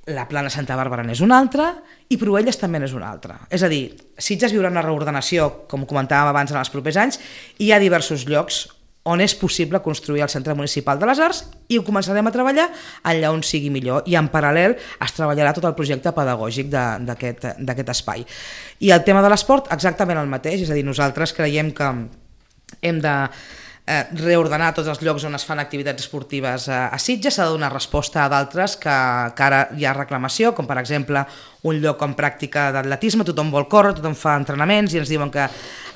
S2: La Plana Santa Bàrbara n'és una altra i Proelles també n'és una altra. És a dir, Sitges viurà una reordenació, com comentàvem abans, en els propers anys, i hi ha diversos llocs on és possible construir el Centre Municipal de les Arts i ho començarem a treballar allà on sigui millor i en paral·lel es treballarà tot el projecte pedagògic d'aquest espai. I el tema de l'esport, exactament el mateix, és a dir, nosaltres creiem que hem de reordenar tots els llocs on es fan activitats esportives a Sitges, s'ha de donar resposta a d'altres que ara hi ha reclamació, com per exemple un lloc amb pràctica d'atletisme, tothom vol córrer, tothom fa entrenaments i ens diuen que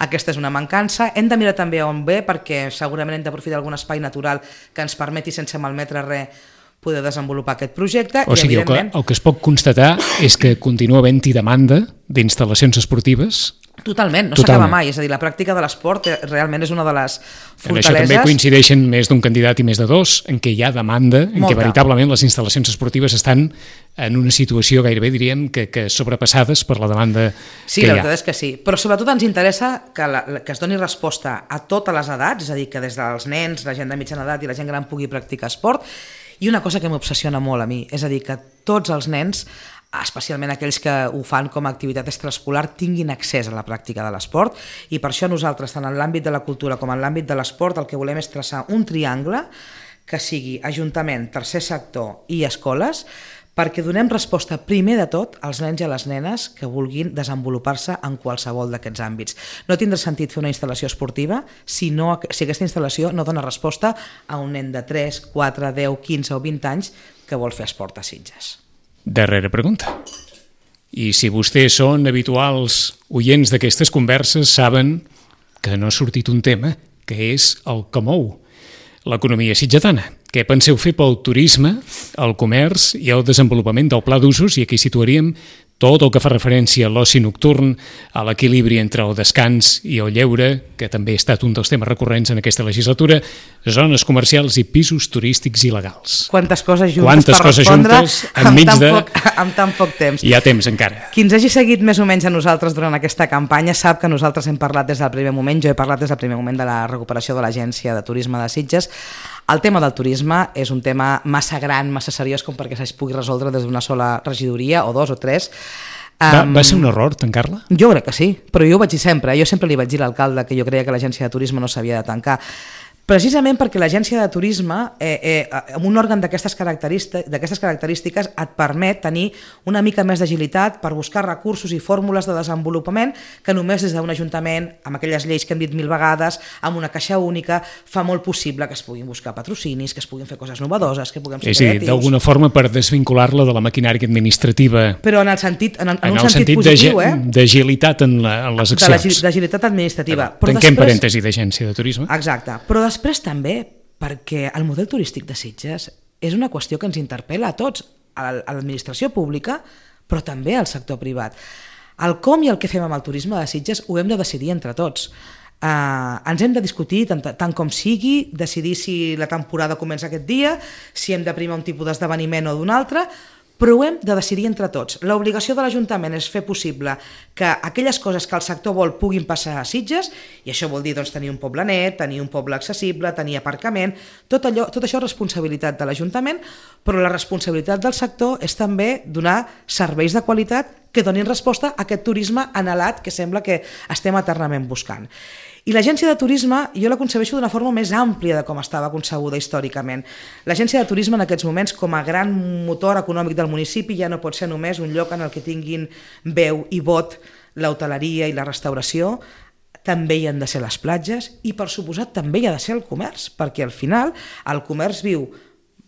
S2: aquesta és una mancança. Hem de mirar també on ve perquè segurament hem d'aprofitar algun espai natural que ens permeti sense malmetre res poder desenvolupar aquest projecte.
S1: O sigui, el que es pot constatar és que continua havent-hi demanda d'instal·lacions esportives.
S2: Totalment, no s'acaba mai, és a dir, la pràctica de l'esport realment és una de les fortaleses.
S1: En això també coincideixen més d'un candidat i més de dos, en què hi ha demanda, en què veritablement les instal·lacions esportives estan en una situació gairebé, diríem, que sobrepassades per la demanda que hi ha.
S2: Sí, la veritat és que sí, però sobretot ens interessa que es doni resposta a totes les edats, és a dir, que des dels nens, la gent de mitjana edat i la gent gran pugui practicar esport, i una cosa que m'obsessiona molt a mi, és a dir, que tots els nens, especialment aquells que ho fan com a activitat extraescolar, tinguin accés a la pràctica de l'esport, i per això nosaltres, tant en l'àmbit de la cultura com en l'àmbit de l'esport, el que volem és traçar un triangle que sigui Ajuntament, tercer sector i escoles, perquè donem resposta primer de tot als nens i a les nenes que vulguin desenvolupar-se en qualsevol d'aquests àmbits. No tindrà sentit fer una instal·lació esportiva si aquesta instal·lació no dona resposta a un nen de 3, 4, 10, 15 o 20 anys que vol fer esport a Sitges.
S1: Darrera pregunta. I si vostès són habituals oients d'aquestes converses, saben que no ha sortit un tema, que és el que mou l'economia sitgetana. Què penseu fer pel turisme, el comerç i el desenvolupament del pla d'usos? I aquí situaríem tot el que fa referència a l'oci nocturn, a l'equilibri entre el descans i el lleure, que també ha estat un dels temes recurrents en aquesta legislatura, zones comercials i pisos turístics il·legals.
S2: Quantes coses juntes per respondre amb tan poc temps.
S1: Hi ha temps encara.
S2: Qui ens hagi seguit més o menys a nosaltres durant aquesta campanya sap que nosaltres hem parlat des del primer moment, jo he parlat des del primer moment de la recuperació de l'Agència de Turisme de Sitges. El tema del turisme és un tema massa gran, massa seriós com perquè es pugui resoldre des d'una sola regidoria o dos o tres.
S1: Va ser un error tancar-la?
S2: Jo crec que sí, però jo ho vaig dir sempre. Jo sempre li vaig dir a l'alcalde que jo creia que l'Agència de Turisme no s'havia de tancar. Precisament perquè l'Agència de Turisme, amb un òrgan d'aquestes característiques, et permet tenir una mica més d'agilitat per buscar recursos i fórmules de desenvolupament que només des d'un ajuntament, amb aquelles lleis que hem dit 1000 vegades, amb una caixa única, fa molt possible que es puguin buscar patrocinis, que es puguin fer coses novedoses, que puguem ser creatius.
S1: D'alguna forma per desvincular-la de la maquinària administrativa.
S2: Però en un sentit positiu,
S1: d'agilitat en les accions.
S2: D'agilitat administrativa.
S1: Tanquem parèntesi d'Agència de Turisme.
S2: Exacte, però després també perquè el model turístic de Sitges és una qüestió que ens interpel·la a tots, a l'administració pública, però també al sector privat. El com i el què fem amb el turisme de Sitges ho hem de decidir entre tots. Ens hem de discutir tant com sigui, decidir si la temporada comença aquest dia, si hem de primar un tipus d'esdeveniment o d'un altre, però ho hem de decidir entre tots. L'obligació de l'Ajuntament és fer possible que aquelles coses que el sector vol puguin passar a Sitges, i això vol dir tenir un poble net, tenir un poble accessible, tenir aparcament, tot això és responsabilitat de l'Ajuntament, però la responsabilitat del sector és també donar serveis de qualitat que donin resposta a aquest turisme anhelat que sembla que estem eternament buscant. I l'Agència de Turisme jo la concebeixo d'una forma més àmplia de com estava concebuda històricament. L'Agència de Turisme en aquests moments, com a gran motor econòmic del municipi, ja no pot ser només un lloc en el que tinguin veu i vot l'hoteleria i la restauració, també hi han de ser les platges i, per suposat, també hi ha de ser el comerç, perquè al final el comerç viu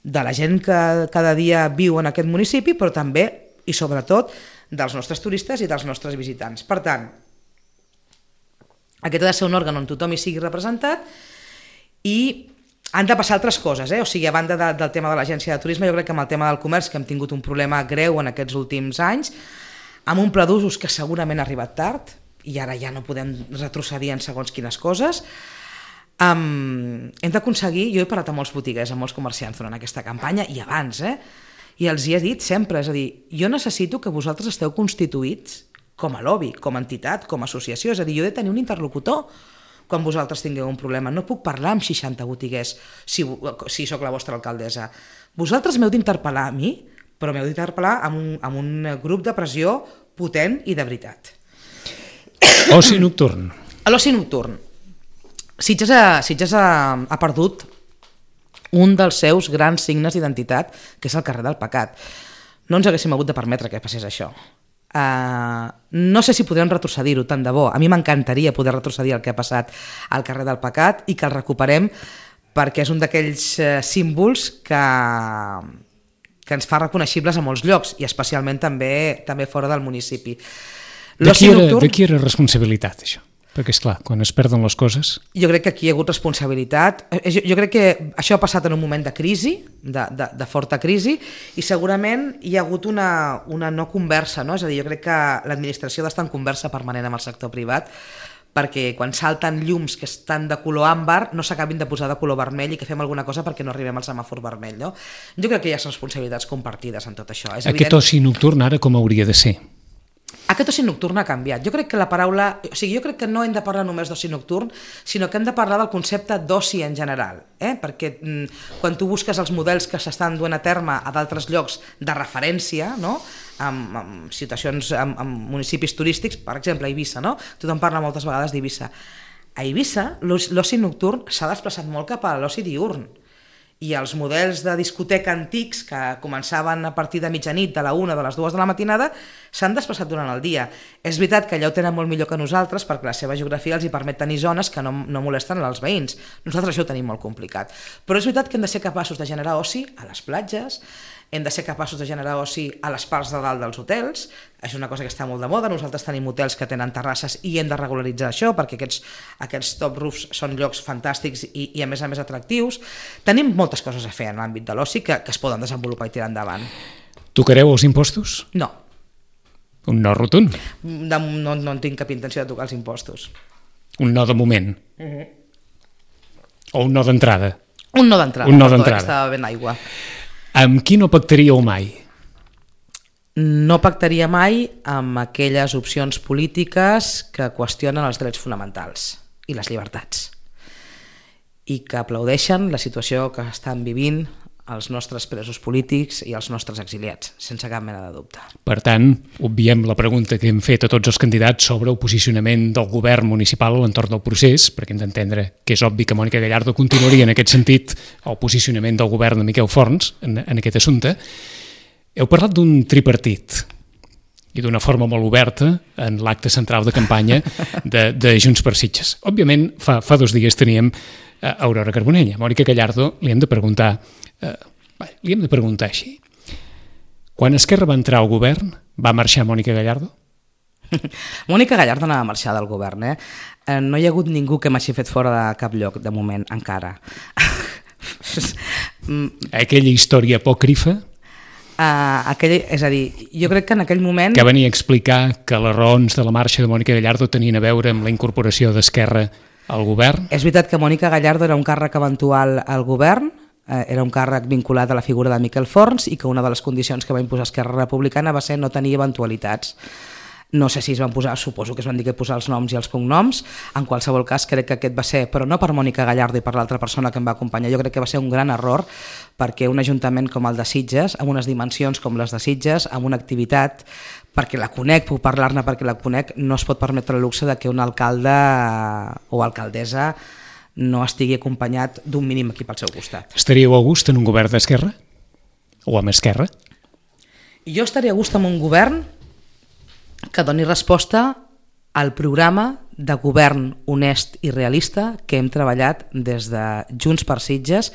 S2: de la gent que cada dia viu en aquest municipi, però també i sobretot dels nostres turistes i dels nostres visitants. Per tant, aquest ha de ser un òrgan on tothom hi sigui representat i han de passar altres coses, O sigui, a banda del tema de l'Agència de Turisme, jo crec que amb el tema del comerç, que hem tingut un problema greu en aquests últims anys, amb un pla d'usos que segurament ha arribat tard, i ara ja no podem retrocedir en segons quines coses. Hem d'aconseguir, jo he parlat amb molts botiguers, amb molts comerciants durant aquesta campanya i abans, i els hi he dit sempre, és a dir, jo necessito que vosaltres esteu constituïts com a lobby, com a entitat, com a associació, és a dir, jo he de tenir un interlocutor quan vosaltres tingueu un problema, no puc parlar amb 60 botiguers si sóc la vostra alcaldessa. Vosaltres m'heu d'interpel·lar a mi, però m'heu d'interpel·lar amb un grup de pressió potent i de veritat.
S1: Oci nocturn.
S2: L'oci nocturn. Sitges ha perdut un dels seus grans signes d'identitat, que és el carrer del Pecat. No ens haguéssim hagut de permetre que passés això. No sé si podrem retrocedir-ho, tant de bo. A mi m'encantaria poder retrocedir el que ha passat al carrer del Pecat i que el recuperem, perquè és un d'aquells símbols que ens fa reconeixibles a molts llocs i especialment també fora del municipi.
S1: De qui era responsabilitat, això? Perquè, esclar, quan es perden les coses...
S2: Jo crec que aquí hi ha hagut responsabilitat. Jo crec que això ha passat en un moment de crisi, de forta crisi, i segurament hi ha hagut una no conversa, no? És a dir, jo crec que l'administració ha d'estar en conversa permanent amb el sector privat, perquè quan salten llums que estan de color àmbar no s'acabin de posar de color vermell i que fem alguna cosa perquè no arribem al semàfor vermell, no? Jo crec que hi ha responsabilitats compartides en tot això.
S1: Aquest oci nocturn ara com hauria de ser?
S2: Aquest oci nocturn ha canviat. Jo crec que la paraula... O sigui, jo crec que no hem de parlar només d'oci nocturn, sinó que hem de parlar del concepte d'oci en general, perquè quan tu busques els models que s'estan duent a terme a d'altres llocs de referència, no? amb situacions, amb municipis turístics, per exemple, a Eivissa, no? Tothom parla moltes vegades d'Eivissa. A Eivissa, l'oci nocturn s'ha desplaçat molt cap a l'oci diürn, i els models de discoteca antics que començaven a partir de mitjanit, de la 1, de les 2 de la matinada, s'han desplaçat durant el dia. És veritat que allà ho tenen molt millor que nosaltres perquè la seva geografia els hi permet tenir zones que no molesten als veïns. Nosaltres això ho tenim molt complicat. Però és veritat que hem de ser capaços de generar oci a les platges, hem de ser capaços de generar oci a les parts de dalt dels hotels, és una cosa que està molt de moda, nosaltres tenim hotels que tenen terrasses i hem de regularitzar això perquè aquests top roofs són llocs fantàstics i a més atractius. Tenim moltes coses a fer en l'àmbit de l'oci que es poden desenvolupar i tirar endavant.
S1: Tocareu els impostos?
S2: No.
S1: Un no rotund?
S2: No tinc cap intenció de tocar els impostos.
S1: Un no de moment? O un no d'entrada?
S2: Un no d'entrada.
S1: Un no d'entrada.
S2: Estava ben aigua.
S1: Amb qui no pactaríeu mai?
S2: No pactaria mai amb aquelles opcions polítiques que qüestionen els drets fonamentals i les llibertats i que aplaudeixen la situació que estan vivint els nostres presos polítics i els nostres exiliats, sense cap mena de dubte.
S1: Per tant, obviem la pregunta que hem fet a tots els candidats sobre el posicionament del govern municipal a l'entorn del procés, perquè hem d'entendre que és obvi que Mònica Gallardo continuaria en aquest sentit el posicionament del govern de Miquel Forns en aquest assumpte. Heu parlat d'un tripartit i d'una forma molt oberta en l'acte central de campanya de Junts per Sitges. Òbviament, fa 2 dies teníem Aurora Carbonell. A Mònica Gallardo li hem de preguntar així. Quan Esquerra va entrar al govern, va marxar Mònica Gallardo?
S2: Mònica Gallardo no va marxar del govern. No hi ha hagut ningú que m'hagi fet fora de cap lloc, de moment, encara.
S1: Aquella història apòcrifa?
S2: És a dir, jo crec que en aquell moment...
S1: Que venia a explicar que les raons de la marxa de Mònica Gallardo tenien a veure amb la incorporació d'Esquerra al govern?
S2: És veritat que Mònica Gallardo era un càrrec eventual al govern, era un càrrec vinculat a la figura de Miquel Forns i que una de les condicions que va imposar Esquerra Republicana va ser no tenir eventualitats. No sé si es van posar, suposo que es van dir que posar els noms i els cognoms, en qualsevol cas crec que aquest va ser, però no per Mònica Gallardo i per l'altra persona que em va acompanyar, jo crec que va ser un gran error perquè un ajuntament com el de Sitges, amb unes dimensions com les de Sitges, amb una activitat, perquè la conec, puc parlar-ne perquè la conec, no es pot permetre el luxe de que un alcalde o alcaldessa no estigui acompanyat d'un mínim equip al seu costat.
S1: Estaríeu a gust en un govern d'Esquerra? O amb Esquerra?
S2: Jo estaria a gust en un govern que doni resposta al programa de govern honest i realista que hem treballat des de Junts per Sitges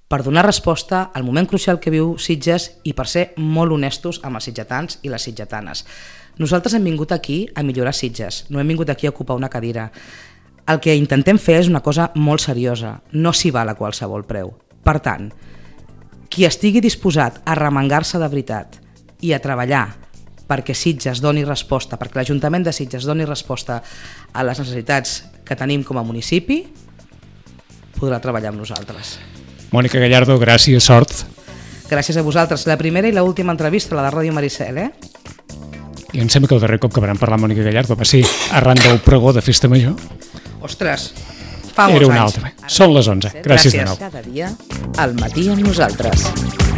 S2: per donar resposta al moment crucial que viu Sitges i per ser molt honestos amb els sitgetans i les sitgetanes. Nosaltres hem vingut aquí a millorar Sitges, no hem vingut aquí a ocupar una cadira. El que intentem fer és una cosa molt seriosa, no s'hi val a qualsevol preu. Per tant, qui estigui disposat a remengar-se de veritat i a treballar perquè Sitges doni resposta, perquè l'Ajuntament de Sitges doni resposta a les necessitats que tenim com a municipi, podrà treballar amb nosaltres.
S1: Mònica Gallardo, gràcies, sort.
S2: Gràcies a vosaltres. La primera i l'última entrevista, la de Ràdio Maricel,
S1: I em sembla que el darrer cop que vam parlar amb Mònica Gallardo va ser arran del pregó de Festa Major.
S2: Ostres, fa molts anys.
S1: Era un altre. Són les 11. Gràcies de nou.
S3: Cada dia, al matí amb nosaltres.